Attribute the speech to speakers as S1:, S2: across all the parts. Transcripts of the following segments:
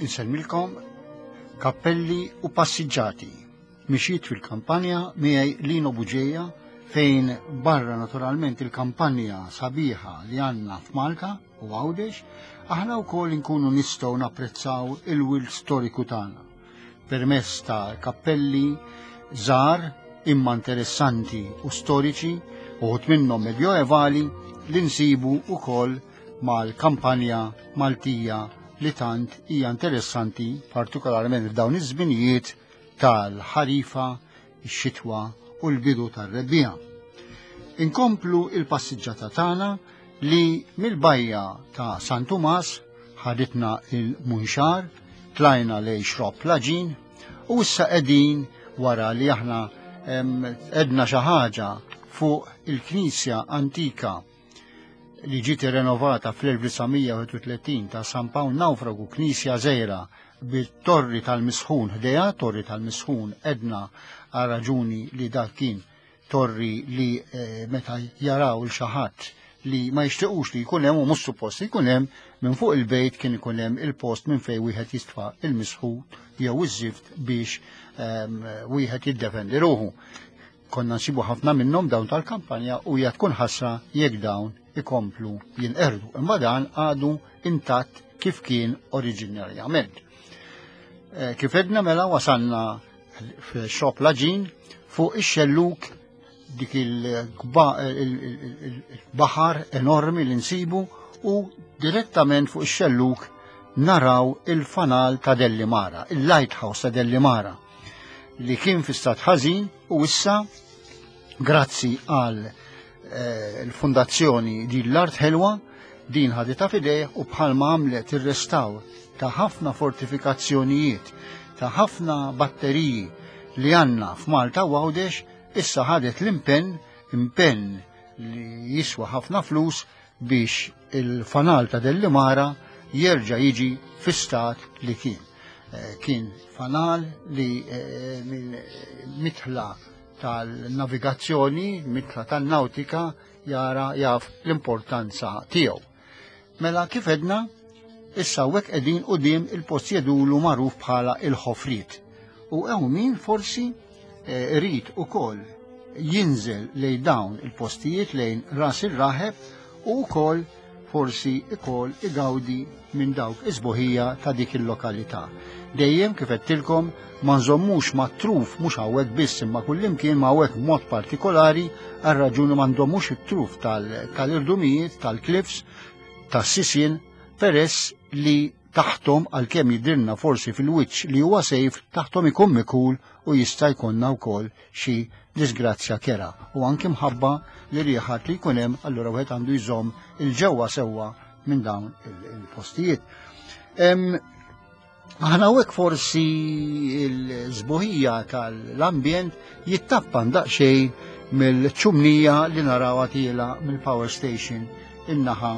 S1: insellmilkom kappelli u passiġġati. Mixjiet fil-kampanja miegħi Lino Buġeja fejn barra naturalment il-kampanja sabiħa li għandna f'Malta u Għawdex, aħna wkoll inkunu nistgħu napprezzaw il-wirt storiku tagħna permezz ta' kappelli żgħar imma interessanti u storiċi uħud minnhom medjoevali li nsibu wkoll mal-kampanja Maltija li tant hija interessanti partikolarment f'dawn iż-żminijiet tal-ħarifa, ix-xitwa u l-bidu tar-rebbiegħa. Inkomplu il-passiġġata tagħna li mill-bajja ta' San Tumas ħaditna il-Munxar, tlajna lej Xrobb Laġin u issa qegħdin wara li aħna edna xi ħaġa fuq il-knisja antika li ġiet irrenovata fl-1931 ta' San Pawl Nawfragu knisja żgħira bit-torri tal-misħun ħdejha, torri tal-misħun edna għal raġuni li dak kien torri li eh, meta jaraw il xi ħadd li ma jixtiequx li jkun hemm u mhux suppost li jkun hemm minn fuq il-bejt kien ikun hemm il-post minn fejn wieħed jistfa' il-misħut jew iż-żift biex ehm, wieħed jiddefendi ruħu. Konna nsibu ħafna minnhom dawn tal-kampanja u hija tkun ħasra jekk dawn ikomplu jinqerdu. Imma dan għadu intatt kif kien oriġinarjament. Eh, kif edna mela wasalna f'xop laġin fuq ix-xelluk dik il-baħar enormi li nsibu u direttament fuq ix-xelluk naraw il-fanal ta' Dellimara, il-lighthouse ta' Dellimara, li kien fi stat ħażin u issa grazzi għal eh, l-fondazzjoni din l-art ħelwa din ħaditha fidejh u bħalma għamlet ir-restawr ta' ħafna fortifikazzjonijiet, ta' ħafna batteriji li għandna f'Malta u Għawdex, issa ħadet l-impenn, impenn li jiswa ħafna flus biex il-fanal ta' Dellimara jerġa' jiġi fi stat li kien. Eh, kien fanal li eh, minn mitħla tal-navigazzjoni, mitla tan-nautika, jara jaf l-importanza tiegħu. Mela kif edna, issa hawnhekk qegħdin quddiem il-post jedulu magħruf bħala il-ħofriet. U hawn min forsi eh, irid ukoll jinżel lejn dawn il-postijiet lejn ras ir-raħeb u wkoll forsi ikoll igawdi minn dawk is-sbuħija ta' dik il-lokalità. Dejjem kif għedtilkom ma nżommux ma' truf mhux hawnhekk biss imma kullimkien ma' hawnhekk b'mod partikolari għal raġuni ma nżommux it-truf tal-irdumijiet, tal-cliffs, tas-sisien peress li taħthom għalkemm jidhirna forsi fil-wiċċ li huwa sejf taħthom ikun mikul u jista' jkollna wkoll xi disgrazzja kera u anki mħabba li riħat li jkun hemm allura wieħed għandu jżomm il-ġewwa sewwa minn dawn il-postijiet. Aħna hawnhekk forsi l-żbuħija tal-ambjent jittappan daqsxejn mill-ċumnija li narawha tiela mill-power station in-naħa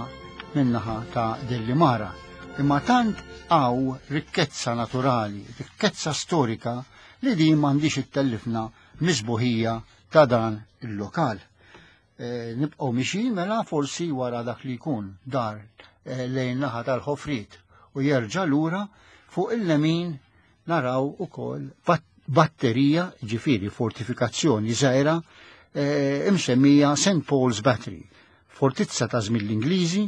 S1: min-naħa ta' Dellimara. Imma tant għaw rikkezza naturali, rikkezza storika li din m'għandix ittellifna misbuħija ta' dan il-lokal. E, nibqgħu mixi mela forsi wara dak li jkun dar e, lejn naħa tal-ħofrit u jerġa' lura fuq il-lemin naraw ukoll batterija, ġifieri fortifikazzjoni żgħira e, imsemmija St. Paul's Battery, fortizza ta' żmien l-Ingliżi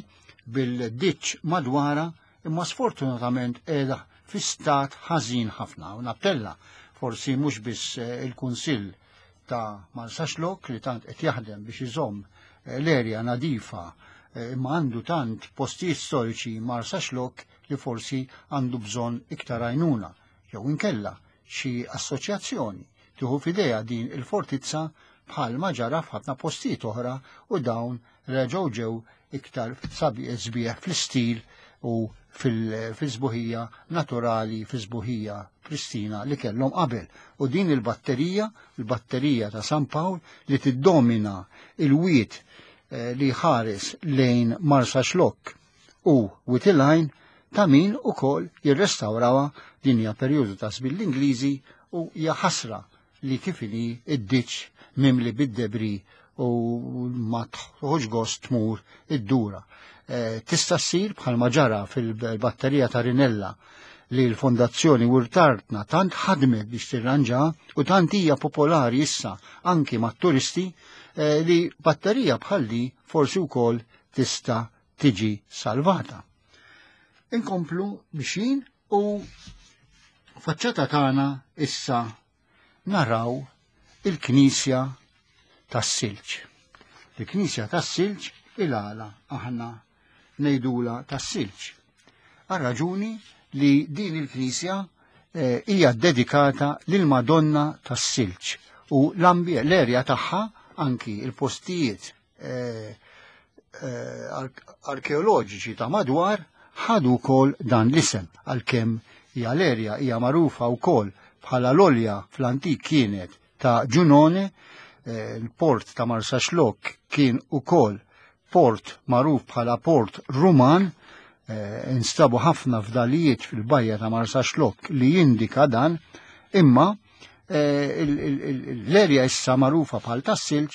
S1: bil-ditx madwara imma sfortunatament qiegħda fi stat ħażin ħafna u nappella forsi mhux biss eh, il-Kunsill ta' Marsaxlokk li tant qed jaħdem biex iżomm eh, l-erja nadifa eh, imma għandu tant postijiet storiċi Marsaxlokk li forsi għandu bżonn iktar għajnuna jew inkella xi assoċjazzjoni tieħu f'idejha din il-fortizza bħal ma ġara f'ħafna postijiet oħra u dawn reġgħu ġew iktar sbieħ fl-istil u fil-sbuħija naturali, fil-sbuħija pristina li kellhom qabel. U din il-batterija, il-batterija ta' San Pawl li tiddomina il-wiet eh, li ħares lejn Marsa Xlokk u Wied il-Għajn ta' min ukoll jirrestawrawha din hija perjodu ta' żmien l-Ingliżi u hija ħasra li kif inhi id-ditx mimli bid-debri u ma tħoġ gost tmur id-dura. Eh, tista' ssir bħalma ġara fil-batterija ta' Rinella. li l-Fondazzjoni Wirtartna tant ħadmet biex tirranġa u tant hija popolari issa anki mat-turisti eh, li batterija bħalli forsi wkoll tista' tiġi salvata. Inkomplu mixin u faċċata tagħna issa naraw il-Knisja tas-Silġ. Il-Knisja tas-Silġ il-għala aħna ngħidula tas-silġ. Għal raġuni li din il-Knisja eh, hija dedikata lil Madonna tas-Silġ u l-erja tagħha anki il-postijiet eh, eh, arkeoloġiċi ta' madwar ħadu wkoll dan l-isem għalkemm hija l-erja hija magħrufa wkoll bħala l-olja fl-antik kienet ta' Ġunone, eh, il-port ta' Marsaxlokk kien ukoll port magħruf bħala port Ruman, eh, instabu ħafna fdalijiet fil-bajja ta' Marsaxlokk li jindika dan, imma eh, l-erja issa magħrufa bħal tas-silġ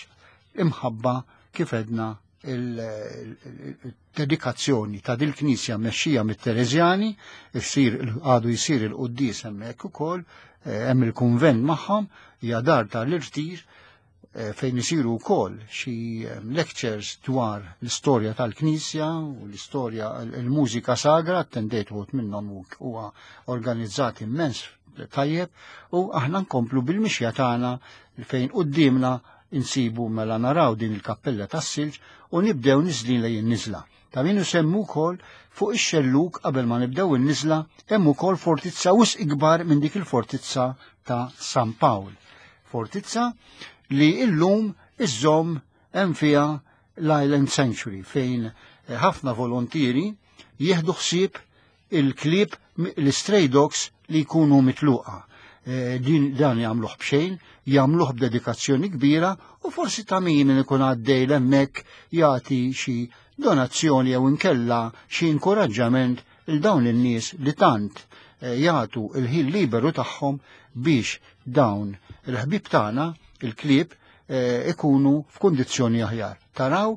S1: imħabba kif edna il-dedikazzjoni ta' dil-knisja mmexxija mit-Tereżjani, jsir għadu jsir il-quddies hemmhekk ukoll, eh, hemm il-kunvent magħhom, hija dar tal-irtir eh, fejn isiru wkoll xi eh, lectures dwar l-istorja tal-Knisja u l-istorja l-mużika sagra, attendejt uħud minnhom huwa organizzat immens tajjeb u aħna nkomplu bil-mixja tagħna fejn quddiemna insibu mela naraw din il-kappella tas-silġ u nibdew niżlin lejn in-niżla. Ta' min isemmu wkoll fuq ix-xellug qabel ma nibdew in-niżla hemm ukoll fortizza wisq ikbar minn dik il-fortizza ta' San Pawl. Fortizza li illum iżżomm hemm fiha l-Island Sanctuary fejn ħafna volontieri jieħdu ħsieb il-klieb l-stray dogs li jkunu mitluqa. Eh, din dan jagħmluh b'xejn, jagħmluh b'dedikazzjoni kbira u forsi ta' min ikun għaddej hemmhekk jagħti xi donazzjoni jew inkella xi inkoraġġament il dawn in-nies li tant eh, jagħtu il-ħin liberu tagħhom biex dawn il-ħbib tagħna, il-klieb, eh, ikunu f'kundizzjoni aħjar. Taraw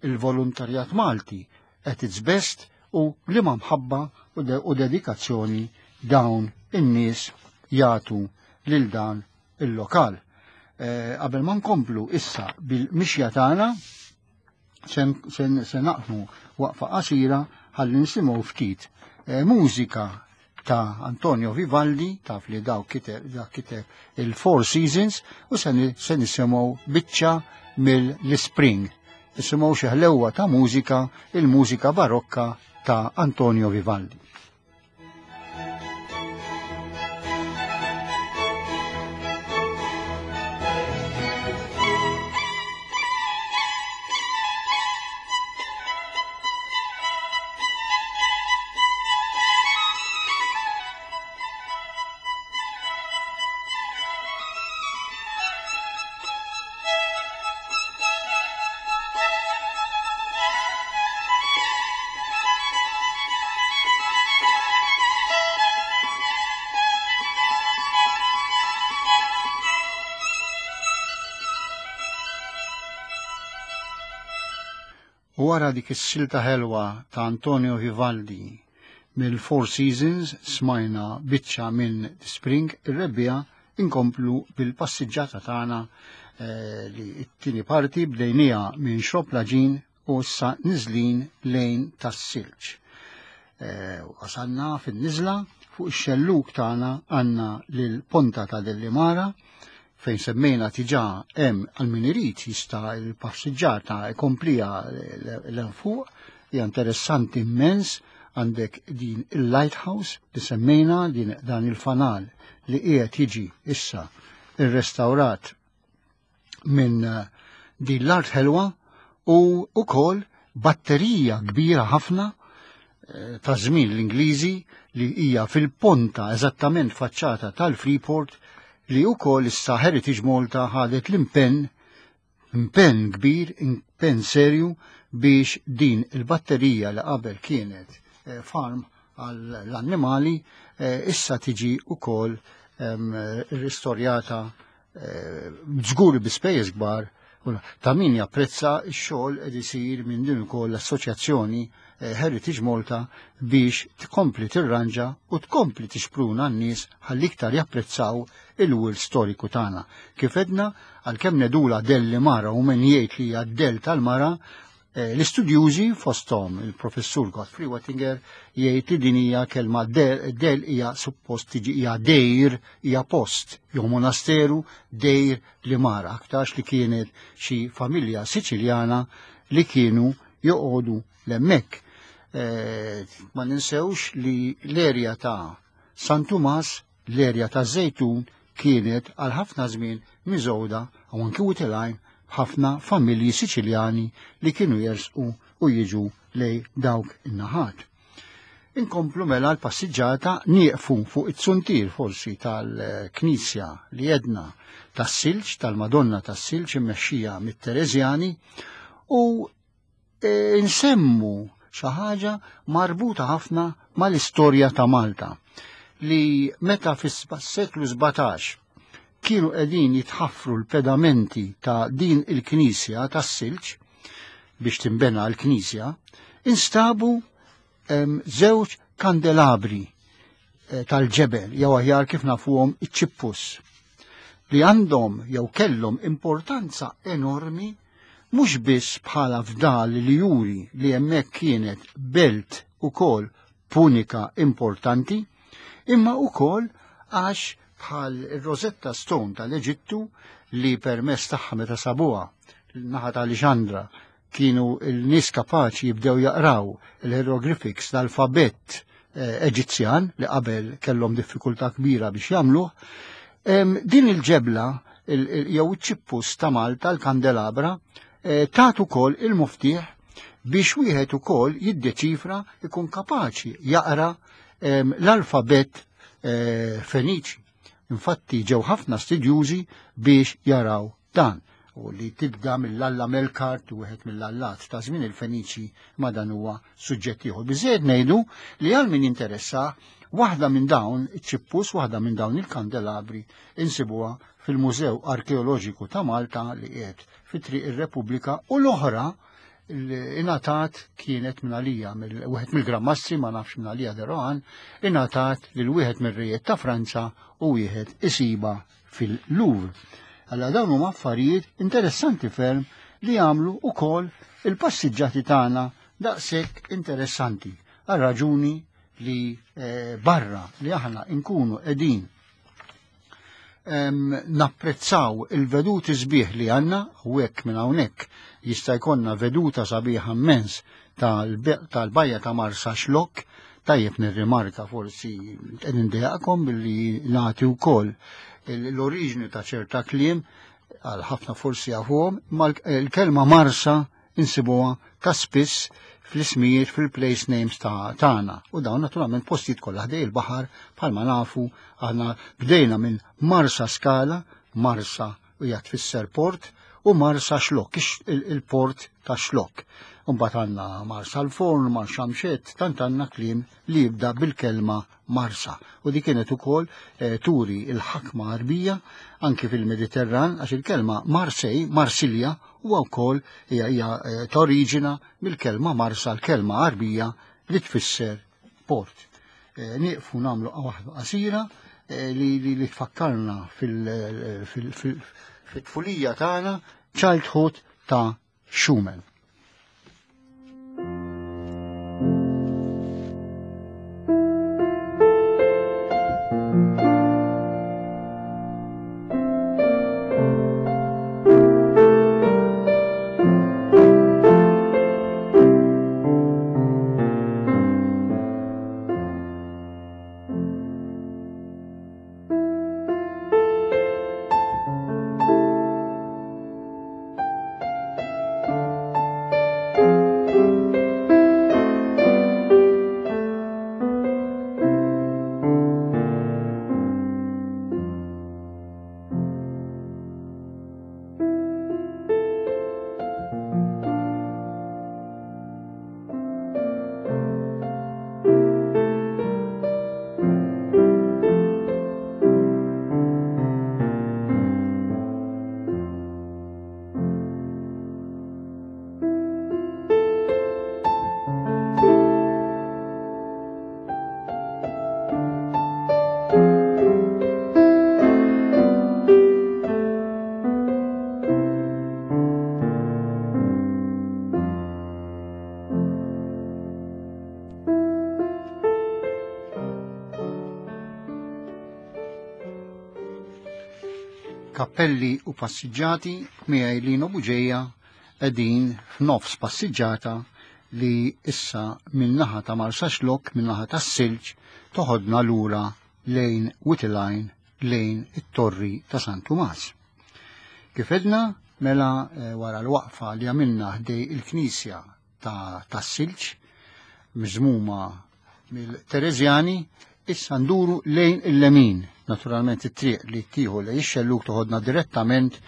S1: il-volontarjat Malti at its best u liema mħabba u dedikazzjoni dawn in-nies jagħtu lil dan il-lokal. Eh, qabel ma nkomplu issa bil-mixja tagħna se naqmu waqfa qasira ħalli nisimgħu ftit eh, mużika ta' Antonio Vivaldi, taf li daw kiteb il-Four Seasons, u se nisimgħu biċċa mill-Spring. Nisimgħu xi ħlewwa ta' mużika, il-mużika barokka ta' Antonio Vivaldi. U wara dik is-silta ħelwa ta' Antonio Vivaldi mill-Four Seasons smajna biċċa minn The Spring ir-rebbiegħa inkomplu bil-passiġġata tagħna eh, li t-tieni parti bdejnija minn Xrob Laġin u issa niżlin lejn tas-silġ. Eh, wasalna fin-niżla fuq ix-xellug tagħna għandna lil Ponta ta' Dellimara fejn semmejna tiġà hemm għal min irid jista' l-passiġġata jkomplija l fuq hija interessanti immens għandek din il-lighthouse li semmejna din dan il-fanal li qiegħed jiġi issa irrestawrat minn eh, din l-art ħelwa u wkoll batterija kbira ħafna eh, ta' żmien l-Ingliżi li hija fil-ponta eżattament faċċata tal-Freeport li wkoll issa Heritage Malta ħadet l-impenn impenn kbir, impenn serju biex din il-batterija li qabel kienet eh, farm għall-annimali issa tiġi wkoll ehm, ristorjata żgur bi spejjeż kbar Ta' min japprezza x-xogħol qed isir minn din ukoll l-Assoċjazzjoni eh, Heritage Malta biex tkompli tirranġa u tkompli tixpruna n-nies ħalli iktar japprezzaw il-wirt storiku tagħna. Kif edna, għalkemm nedula delli mara u min jgħid li hija del tal-mara, eh, l-istudjużi fosthom il-professur Godfrey Wettinger jgħid li din hija kelma del hija suppost tiġi hija dejr hija post jew monasteru dejr li mara aktarx li kienet xi familja Siċiljana li kienu joqogħdu l-hemmhekk. Eh, ma ninsewx li l-erja ta' San Tumas, l-erja ta' Zejtun kienet għal ħafna żmien miżgħuda u anki witilgħin b'ħafna familji Siċiljani li kienu jersqu u jiġu lej dawk in-naħat. Inkomplu mela l-passiġġata nieqfu fuq it-suntier forsi tal-knisja li jedna tas-silġ tal-Madonna tas-silġ immexxija mit-Tereżjani u e, nsemmu xi ħaġa marbuta ħafna mal-istorja ta' Malta li meta fis-seklu 17 kienu qegħdin jitħaffru l-pedamenti ta' din il-knisja tas-silġ biex timbena l-knisja, instabu żewġ kandelabri eh, tal-ġebel jew aħjar kif nafuhom iċ-ċippus li għandhom jew kellhom importanza enormi mhux biss bħala fdal li juri li hemmhekk kienet belt ukoll punika importanti, imma ukoll għax bħal ir-Rosetta Stone tal-Eġittu li permess tagħha meta sabuha naħa ta' Alexandra kienu l-nies kapaċi jibdew jaqraw il-hieroglyphics l-alfabett eh, Eġizzjan li qabel kellhom diffikultà kbira biex jagħmluh. Din il-ġebla jew iċ-ċippus ta' Malta l-kandelabra eh, tagħtu ukoll il-muftieħ biex wieħed ukoll jiddeċifra ikun kapaċi jaqra l-alfabett eh, Feniċi. Infatti ġew ħafna studjużi biex jaraw dan u li tibda mill-Alla Melkart u wieħed mill-allat ta' żmien il-Feniċi ma dan huwa suġġett ieħor. Biżejjed ngħidu li għal min jinteressa waħda minn dawn iċ-ċippus, waħda minn dawn il-kandelabri insibuha fil-Mużew Arkeoloġiku ta' Malta li qiegħed fi Triq ir-Repubblika u l-oħra ingħatat kienet minn għalija, wieħed mill-Grammastri ma nafx minn għalija Derohan, ingħatat lil wieħed mir-rejiet ta' Franza u wieħed isiba fil-Louvre. Alla dawn huma affarijiet interessanti ferm li jagħmlu ukoll il-passiġġati tagħna daqshekk interessanti għal raġuni li eh, barra li aħna nkunu qegħdin napprezzaw il-veduti sbieħ li għanna u hekk minn hawnhekk jista' jkollna veduta sabiħa immens tal-bajja ta' Marsa Xlokk, tajjeb nirrimarka forsi qed indejaqkom billi nagħti wkoll l-oriġni ta' ċerta kliem għal ħafna forsi jafuhom, ma l-kelma Marsa insibuha ta' spiss fl-ismijiet fil-place names ta' tagħna. U dawn naturalment postijiet kollha ħdej il-baħar bħalma nafu aħna bdejna minn Marsa Skala, Marsa u hija tfisser port, u Marsa Xlokk, il-port ta' Xlokk. Mbagħad għandna Marsa l-Forn, Marsa Mxett, tant għandna kliem li jibda bil-kelma Marsa. U di kienet ukoll eh, turi il-ħakma Arbija anki fil-Mediterran għax il-kelma Marsej, Marsilja, huwa wkoll hija hija eh, toriġina mill-kelma Marsa, l-kelma Arbija li tfisser port. Eh, nieqfu nagħmlu waħda qasira li, li, li tfakkarna fil-tfulija tagħna childhood ta' Schumann. Kappelli u passiġġati miegħi Lino Buġeja qegħdin f'nofs passiġġata li issa min-naħa ta' Marsaxlokk, min-naħa tas-Silġ, toħodna lura lejn Witiline lejn it-Torri ta' San Tumas. Kif edna, mela eh, wara l-waqfa li għamilna ħdej il-Knisja ta' tas-Silġ, miżmuma mill-Tereżjani, issa nduru lejn il-lemin. Naturalment it-triq li tieħu lejn ix-xellug toħodna direttament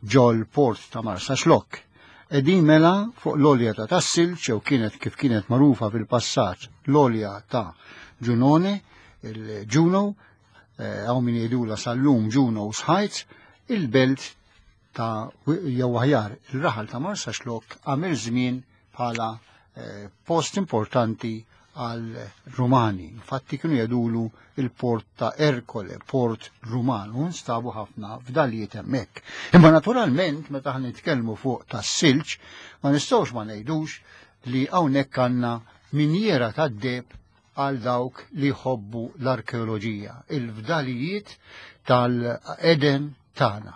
S1: ġol port ta' Marsaxlokk. Qegħdin mela fuq l-olja ta' tas-silġ jew kienet kif kienet magħrufa fil-passat l-olja ta' Ġunone, il-Juno, eh, hawn min jgħidula sal-lum Juno's Heights, il-belt ta' jew aħjar il-raħal ta' Marsaxlokk għamel żmien bħala eh, post importanti għal Rumani. Infatti kienu jgħidulu il-port ta' Erkole, port Ruman, u nstabu ħafna f'dalijiet hemmhekk. Imma naturalment meta ħan nitkellmu fuq tas-silġ, ma nistgħux ma ngħidux li hawnhekk għandna minjera tad-deb għal dawk li jħobbu l-arkeoloġija, il-fdalijiet tal-Eden tagħna.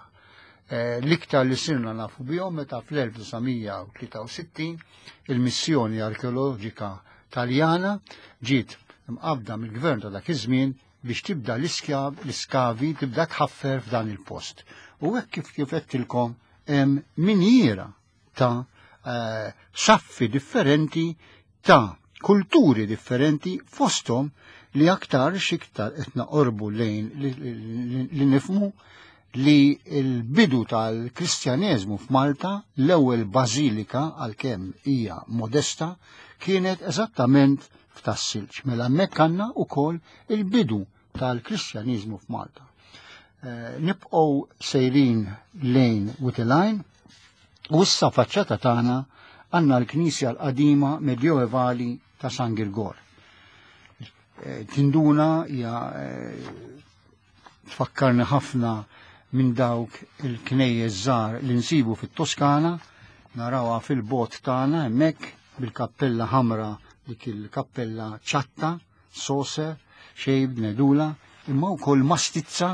S1: Eh, l-iktar li sirna nafu bihom meta fl-1963 il-missjoni arkeoloġika Taljana ġiet mqabda mill-gvern ta' dak iż-żmien biex tibda l-iskavi tibda tħaffer f'dan il-post. U hekk kif kif qedtilkom hemm minjiera ta' eh, saffi differenti ta' kulturi differenti fosthom li aktar xiktar qed naqorbu lejn li nifmu li l-bidu tal-Kristjaneżmu f'Malta, l-ewwel bażilika għalkemm hija modesta, kienet eżattament f'Tas-Silġ. Mela hemmhekk għandna wkoll il-bidu tal-Kristjaniżmu f'Malta. Eh, nibqgħu sejrin lejn Witilajn u issa faċċata tagħna għandna l-Knisja l-qadima medjoevali ta' San Girgor. Eh, tinduna hija eh, tfakkarni ħafna minn dawk il-knejjes żgħar li nsibu fit-Toskana, narawha fil-bot tagħna hemmhekk bil-kappella ħamra dik il-kappella ċatta, soser, xejb, nedula, imma wkoll mastizza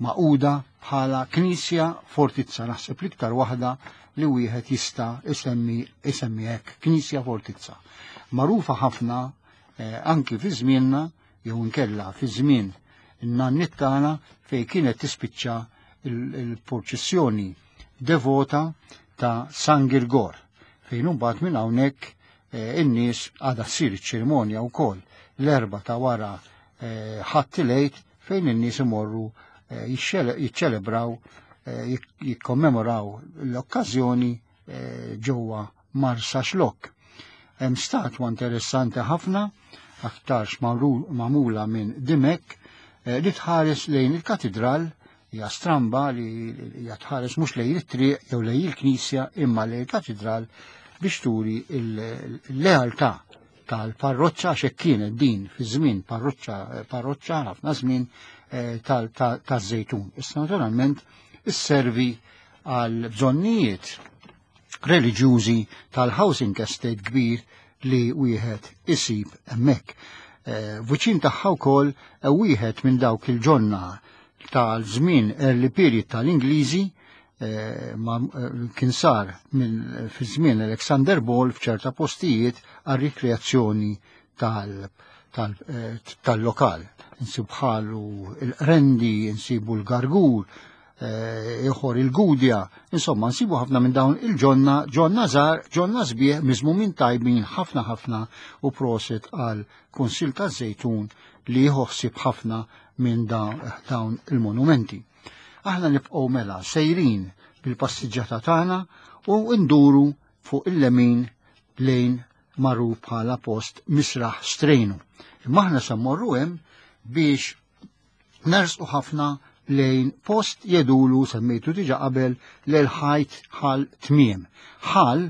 S1: maquda bħala knisja fortizza, naħseb l-iktar waħda li wieħed jista' isemmi isemmi hekk, knisja fortizza. Magħrufa ħafna eh, anki fi żmienna jew inkella fi żmien in-nanniet tagħna fejn kienet tispiċċa il-purċissjoni devota ta' San Girgor fejn imbagħad minn hawnhekk eh, in-nies għadha ssir iċ-ċerimonja wkoll l-erba ta' wara eh, ħadd il-Għid fejn in-nies imorru eh, jiċċelebraw jikkommemoraw l-okkażjoni ġewwa Marsa Xlokk. Hemm statwa interessanti ħafna, aktarx magħmula minn Dimek, eh, li tħares lejn il-katidral hija stramba li hija tħares mhux lejn it-triq jew lejn il-knisja imma lejn il-katidral biex turi l-lealtà tal-parroċċa għax hekk kienet din fi żmien parroċċa parroċċa ħafna żmien eh, taż-żejtun. Issa naturalment isservi għal bżonnijiet reliġjużi tal-housing estate kbir li wieħed isib hemmhekk. Eh, viċin tagħha wkoll eh, wieħed minn dawk il-ġonna tal-żmien early period tal-Ingliżi eh, kien sar minn fi żmien Alexander Ball f'ċerta postijiet għal rikreazzjoni tal-lokal. Insib bħalu il-rendi, insibu l-gargur, Eh, ieħor il-Gudja, insomma nsibu ħafna minn dawn il-ġonna, ġonna żgħar, ġonna sbieħ miżmumin tajbin ħafna ħafna u proset għal Kunsil taż-Żejtun li jħossib ħafna minn dawn il-monumenti. Aħna nibqgħu mela sejrin bil-passiġġata tagħna u nduru fuq il-lemin lejn magħruf bħala post Misraħ Strejnu. Imma aħna se mmorru hemm biex nersqu ħafna lejn post jedulu semmejtu diġa qabel lejn ħajt ħal tmiem. Ħal,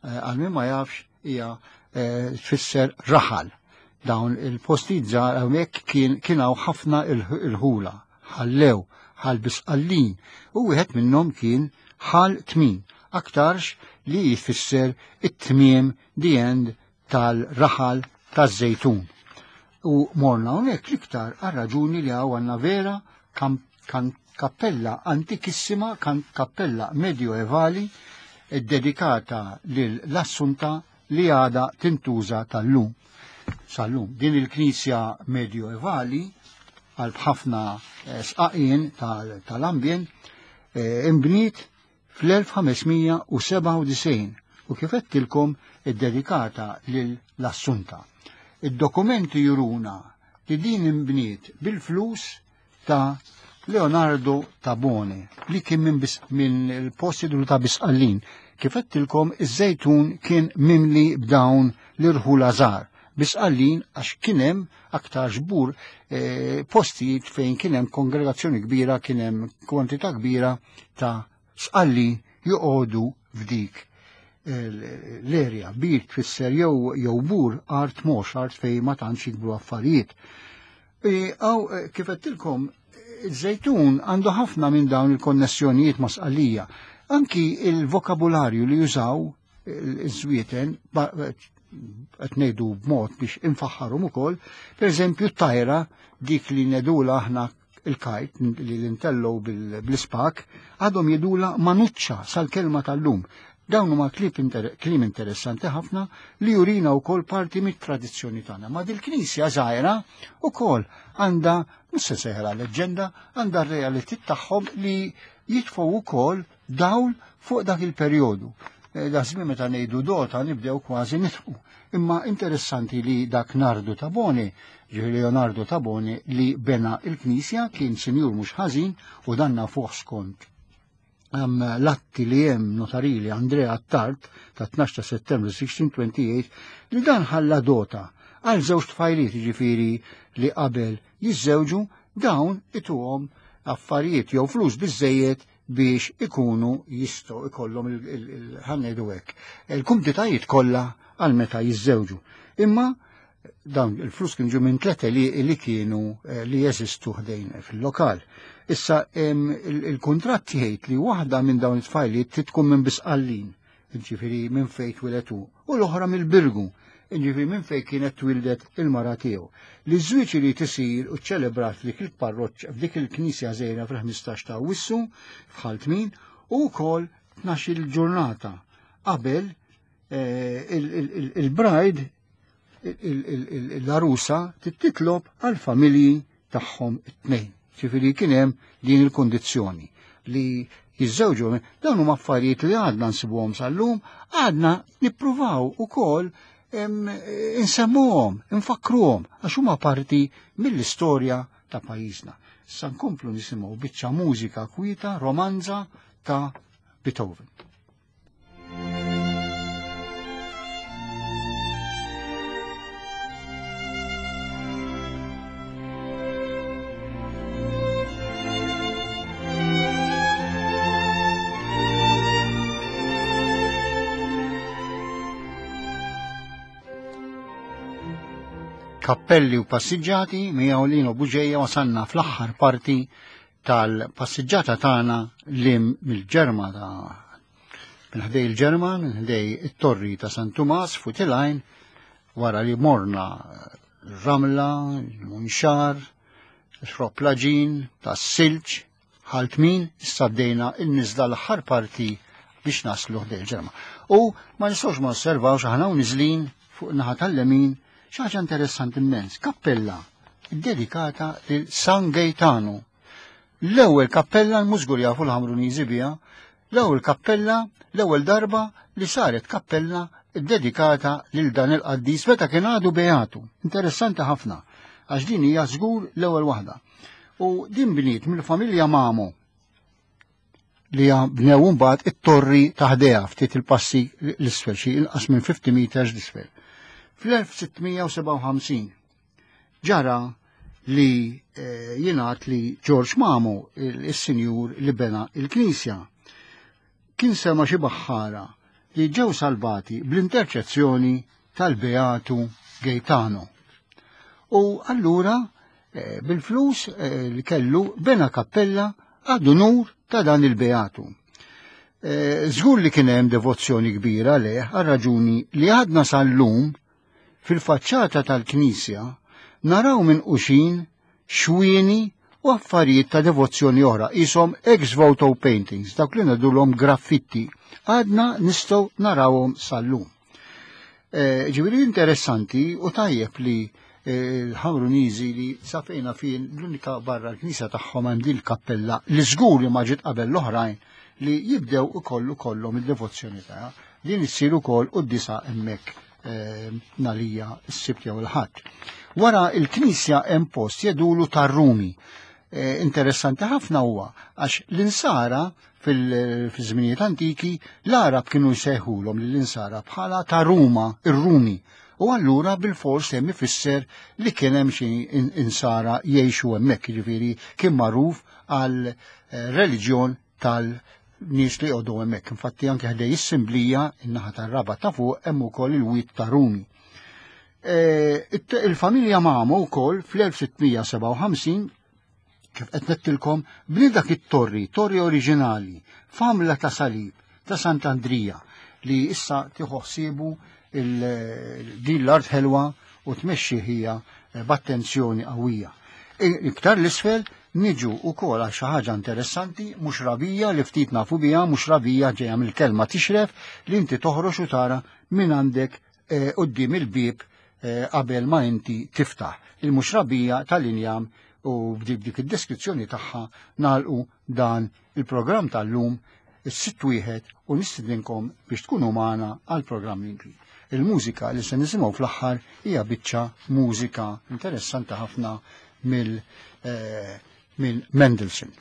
S1: eh, għal min ma jafx, hija eh, tfisser raħal. Dawn il-postijiet żgħar hawnhekk kien kien hawn ħafna il-ħula, ħallew, ħal bisqallin, u wieħed minnhom kien ħal tmien, aktarx li jfisser it-tmiem the end tal-raħal taż-Żejtun. U morna hawnhekk l-iktar għar-raġuni li hawn għandna vera Kappella antikissima, kappella medjoevali ddedikata lil l-Assunta li għada tintuża tal-lum. Sal-lum. Din il-knisja medjoevali għal ħafna eh, sqaqien tal-ambjent eh, imbniet fl-1597 u kif għedtilkom iddedikata lil l-Assunta. Id-dokumenti juruna li din imbniet bil-flus ta' Leonardo Tabone li kien minn min il-post jidru ta' Bisqallin. Kif għedtilkom iż-żejtun kien mimli b'dawn l-irħula żgħar. Bisqallin għax kien hemm aktar xbur eh, postijiet fejn kien hemm kongregazzjoni kbira, kien hemm kwantità kbira ta' sqallin joqogħdu f'dik l-erja. Bir tfisser jew jew bur art mhux art fejn ma tantx jikbru affarijiet. Għaw, eh, kif għedtilkom, iż-żejtun għandu ħafna minn dawn il-konnessjonijiet ma' sqallija. Anki il-vokabularju li jużaw iż-żwieten, qed ngħidu b'mod biex infaħħarhom ukoll, pereżempju t-tajra dik li nedula aħna il-kajt li l-intellow bl-ispak, għadhom jidula manuċċa sal-kelma tal-lum. Dawn huma kliem interessanti ħafna li jurina wkoll parti mit-tradizzjoni tagħna. Ma dil-knisja żgħira wkoll għandha mhux se seħra leġġenda, għandha r-reality tagħhom li jitfgħu wkoll dawl fuq dak il-perjodu. Eh, da żmien meta ngħidu dota nibdew kważi nitqu. Imma interessanti li dak Nardu Tabone, ġifieri Leonardo Tabone li bena il-knisja kien sinjur mhux ħażin u danna fuq skont l-atti li hemm notarili Andrea Attard ta' 12 ta' Settembru 1628 li dan ħalla dota għal żewġ tfajliet ġifieri li qabel jiżżewġu dawn ituhom affarijiet jew flus biżejjed biex ikunu jistgħu ikollhom il-ħannejdu hekk. Il-kumditajiet kollha għal meta jiżżewġu. Imma dawn il-flus kienu ġew minn tlete li, li kienu eh, li jeżistu ħdejn fil-lokal. Issa il-kuntratt jgħid li waħda minn dawn it-tfajliet trid tkun minn Bisqallin, ġifieri minn fejn twieled hu, u l-oħra mill-Birgu, ġifieri minn fejn kienet twildet il-mara tiegħu. Li ż-żwieġ irid isir u ċċelebrat f'dik il-parroċċa f'dik il-knisja żgħira fil-15 ta' Awwissu f'Ħal Tmin u wkoll 12-il ġurnata qabel eh, il-brajd l-arusa titlob għal familji tagħhom it-tnejn. Ġifieri kien hemm din il-kondizzjoni li jiżżewġu dawn huma affarijiet li għadna nsibuhom sal-lum, għadna nippruvaw ukoll insemmuhom, infakruhom għax huma parti mill-istorja ta' pajjiżna. Issa nkomplu nisimgħu biċċa mużika kwieta, romanza ta' Beethoven. Kappelli u passiġġati miegħu Lino Buġeja wasalna fl-aħħar parti tal-passiġġata tagħna li mill-Ġerma ta' minn ħdej il-Ġerma, minn ħdej it-torri ta' San Tumas fuq il wara li morna Ramla, Munxar, Xroplaġin, ta' Silġ, ħaltmin, issa bdejna il-nizla l-aħħar parti biex naslu ħdej il-Ġerma. U ma nistgħux ma osservawx aħna u niżlin fuq naħa tal-lemin xi ħaġa interessanti immens, kappella dedikata lil San Gaetano. L-ewwel kappella l-mużgur jafu l-Ħamruniżi biha, l-ewwel kappella, l-ewwel darba li saret kappella dedikata lil dan il-qaddis meta kien għadu beatu. Interessanti ħafna, għax din hija żgur l-ewwel waħda. U din bniet mill-familja Mamo li bnew mbagħad it-torri ta' ħdejha ftit il-passi l-isfel xi inqas minn 50 meters l-isfel. Fl-1657 ġara li eh, jingħad li George Mamo, il-sinjur li bena il-knisja, kien sema xi baħħara li ġew salvati bl-interċezzjoni tal-Beatu Gaetano. U allura eh, bil-flus eh, li kellu bena kappella għad unur ta' dan il-Beatu. Eh, żgur li kien hemm devozzjoni kbira leh għal raġuni li għadna sal-lum fil-faċċata tal-knisja naraw minn quxin xwieni u affarijiet ta' devozzjoni oħra, qishom ex voto paintings, dawk li ngħidulhom graffitti. Għadna nistgħu narawhom sal-lum. Eh, ġifieri interessanti u tajjeb li eh, l-Ħamruniżi li safejna fin l-unika barra l-knisja tagħhom hemm din il-kappella li żgur li ma ġiet qabel l-oħrajn li jibdew ikollu kollhom id-devozzjoni tagħha. Din issir ukoll quddisa hemmhekk eh, nalija s-Sibt jew il-Ħadd. Wara il-knisja hemm post jedulu tar-Rumi. Eh, interessanti ħafna huwa għax l-insara fil-żminijiet antiki l-Arab kienu jsejħulhom lill-insara bħala ta' Ruma, ir-Rumi. U allura bil-fors hemm ifisser li kien hemm xi insara jgħixu hemmhekk, jiġifieri kien magħruf għal eh, reliġjon tal-nies li jqogħdu hemmhekk. Infatti anke ħdej is-Simblija in-naħa tar-raba ta' fuq hemm ukoll il-wied ta' Rumi. E, il-familja Mamo wkoll fl-1657 kif qed nettilkom bni dak it-torri, torri oriġinali, famla ta' salib ta' Sant'Andrija li issa tieħu ħsiebu din l-art ħelwa u tmexxi hija eh, b'attenzjoni qawwija. Iktar l-isfel niġu wkoll għal xi ħaġa interessanti mhux rabija li ftit nafu biha, mhux rabija ġejja mill-kelma tixref li inti toħroġ u tara minn għandek eh, quddiem il-bieb eh, qabel ma inti tiftaħ. Il-muxrabija tal-injam u b'dik dik id-deskrizzjoni tagħha nagħlqu dan il-programm tal-lum is-sitt wieħed u nistidinkom biex tkunu magħna għal programm li Il-mużika li se nisimgħu fl-aħħar hija biċċa mużika interessanti ħafna mill eh, minn Mendelssohn.